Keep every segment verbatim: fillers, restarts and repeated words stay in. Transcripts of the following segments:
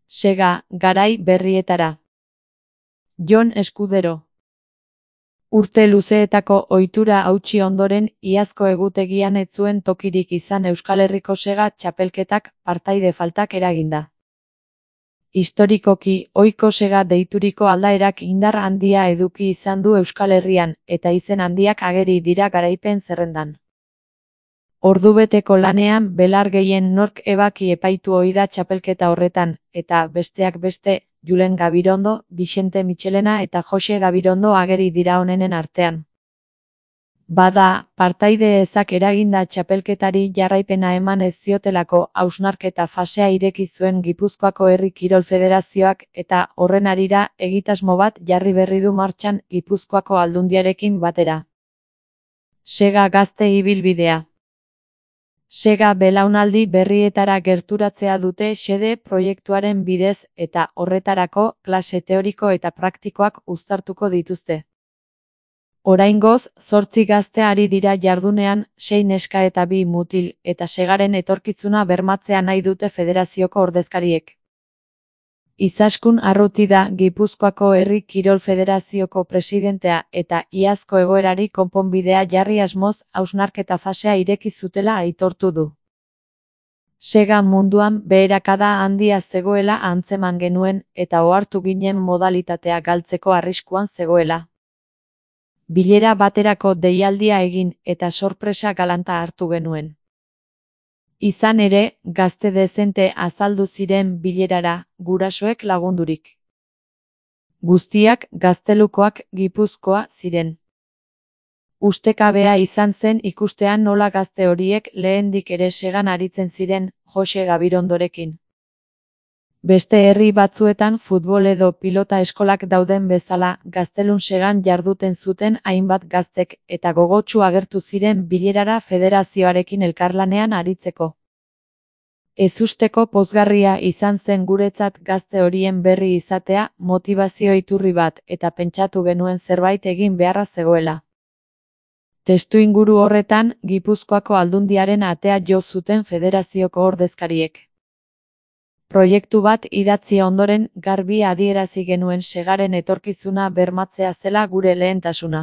Sega, garai berrietara. Jon Eskudero. Urte luzeetako ohitura hautsi ondoren, iazko egutegian ez zuen tokirik izan Euskal Herriko Sega txapelketak partaide faltak eraginda. Historikoki, ohiko Sega deituriko aldaerak indar handia eduki izan du Euskal Herrian, eta izen handiak ageri dira garaipen zerrendan. Ordubeteko lanean belar gehien nork ebaki epaitu ohi da txapelketa horretan, eta, besteak beste, Julen Gabirondo, Bixente Michelena eta Jose Gabirondo ageri dira onenen artean. Bada, partaide ezak eraginda txapelketari jarraipena eman ez ziotelako hausnarketa fasea ireki zuen Gipuzkoako Herri Kirol Federazioak eta horren harira egitasmo bat jarri berri du martxan Gipuzkoako Aldundiarekin batera. Sega gazte ibilbidea. Sega belaunaldi berrietara gerturatzea dute xede proiektuaren bidez eta horretarako klase teoriko eta praktikoak uztartuko dituzte. Oraingoz, zortzi gazte ari dira jardunean, sei neska eta bi mutil, eta Segaren etorkizuna bermatzea nahi dute federazioko ordezkariek. Izaskun Arrutida Gipuzkoako Herri Kirol Federazioko presidentea eta iazko egoerari konponbidea jarri asmoz hausnarketa fasea ireki zutela aitortu du. Sega munduan beherakada handia zegoela antzeman genuen eta ohartu ginen modalitatea galtzeko arriskuan zegoela. Bilera baterako deialdia egin eta sorpresa galanta hartu genuen. Izan ere, gazte dezente azaldu ziren bilerara, gurasoek lagundurik. Guztiak gaztelukoak Gipuzkoa ziren. Ustekabea izan zen ikustean nola gazte horiek lehendik ere Segan aritzen ziren, Jose Gabirondorekin. Beste herri batzuetan futbol edo pilota eskolak dauden bezala, gaztelun Segan jarduten zuten hainbat gaztek eta gogotsu agertu ziren bilerara federazioarekin elkarlanean aritzeko. Ezusteko pozgarria izan zen guretzat gazte horien berri izatea, motivazio iturri bat eta pentsatu genuen zerbait egin beharra zegoela. Testuinguru horretan, Gipuzkoako Aldundiaren atea jo zuten federazioko ordezkariek. Proiektu bat idatzi ondoren garbi adierazi genuen Segaren etorkizuna bermatzea zela gure lehentasuna.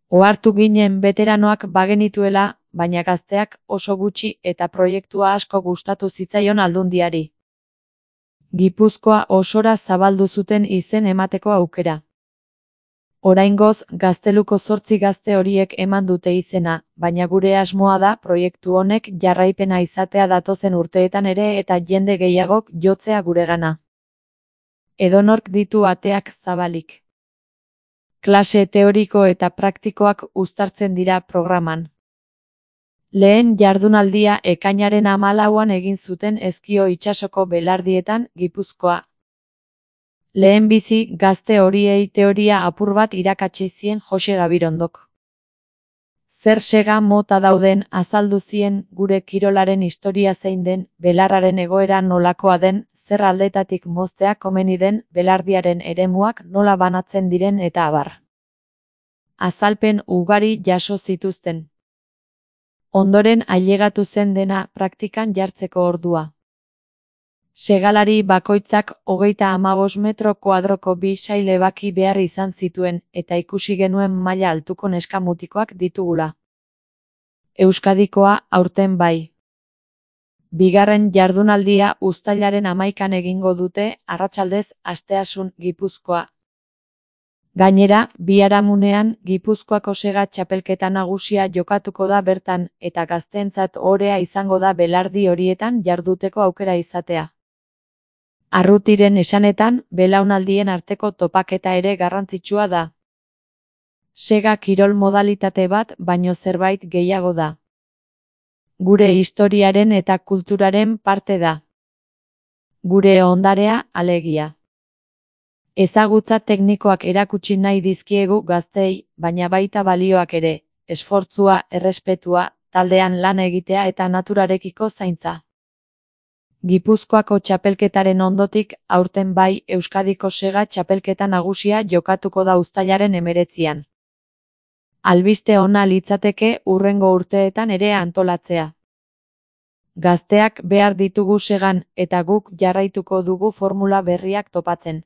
Ohartu ginen beteranoak bagenituela, baina gazteak oso gutxi eta proiektua asko gustatu zitzaion Aldundiari. Gipuzkoa osora zabaldu zuten izen emateko aukera. Oraingoz, gazteluko zortzi gazte horiek eman dute izena, baina gure asmoa da proiektu honek jarraipena izatea datozen urteetan ere eta jende gehiagok jotzea guregana. Edonork ditu ateak zabalik. Klase teoriko eta praktikoak uztartzen dira programan. Lehen jardunaldia ekainaren hamalauan egin zuten Ezkio itsasoko belardietan, Gipuzkoa. Lehenbizi gazte horiei teoria apur bat irakatsi zien Jose Gabirondok. Zer Sega mota dauden azaldu zien gure kirolaren historia zein den, belarraren egoera nolakoa den, zer aldetatik moztea komeni den, belardiaren eremuak nola banatzen diren eta abar. Azalpen ugari jaso zituzten. Ondoren ailegatu zen dena praktikan jartzeko ordua. Segalari bakoitzak hogeita hamabost metro kuadroko bi sail ebaki behar izan zituen eta ikusi genuen maila altuko neskamutikoak ditugula. Euskadikoa aurten bai. Bigarren jardunaldia uztailaren hamaikan egingo dute, arratsaldez Asteasun Gipuzkoa. Gainera, biharamunean Gipuzkoako Sega txapelketa nagusia jokatuko da bertan eta gazteentzat ohorea izango da belardi horietan jarduteko aukera izatea. Arrutiren esanetan, belaunaldien arteko topaketa ere garrantzitsua da. Sega kirol modalitate bat baino zerbait gehiago da. Gure historiaren eta kulturaren parte da. Gure ondarea, alegia. Ezagutza teknikoak erakutsi nahi dizkiegu gaztei, baina baita balioak ere, esfortzua, errespetua, taldean lan egitea eta naturarekiko zaintza. Gipuzkoako txapelketaren ondotik, aurten bai Euskadiko Sega txapelketa nagusia jokatuko da uztailaren hemeretzian. Albiste ona litzateke hurrengo urteetan ere antolatzea. Gazteak behar ditugu segan, eta guk jarraituko dugu formula berriak topatzen.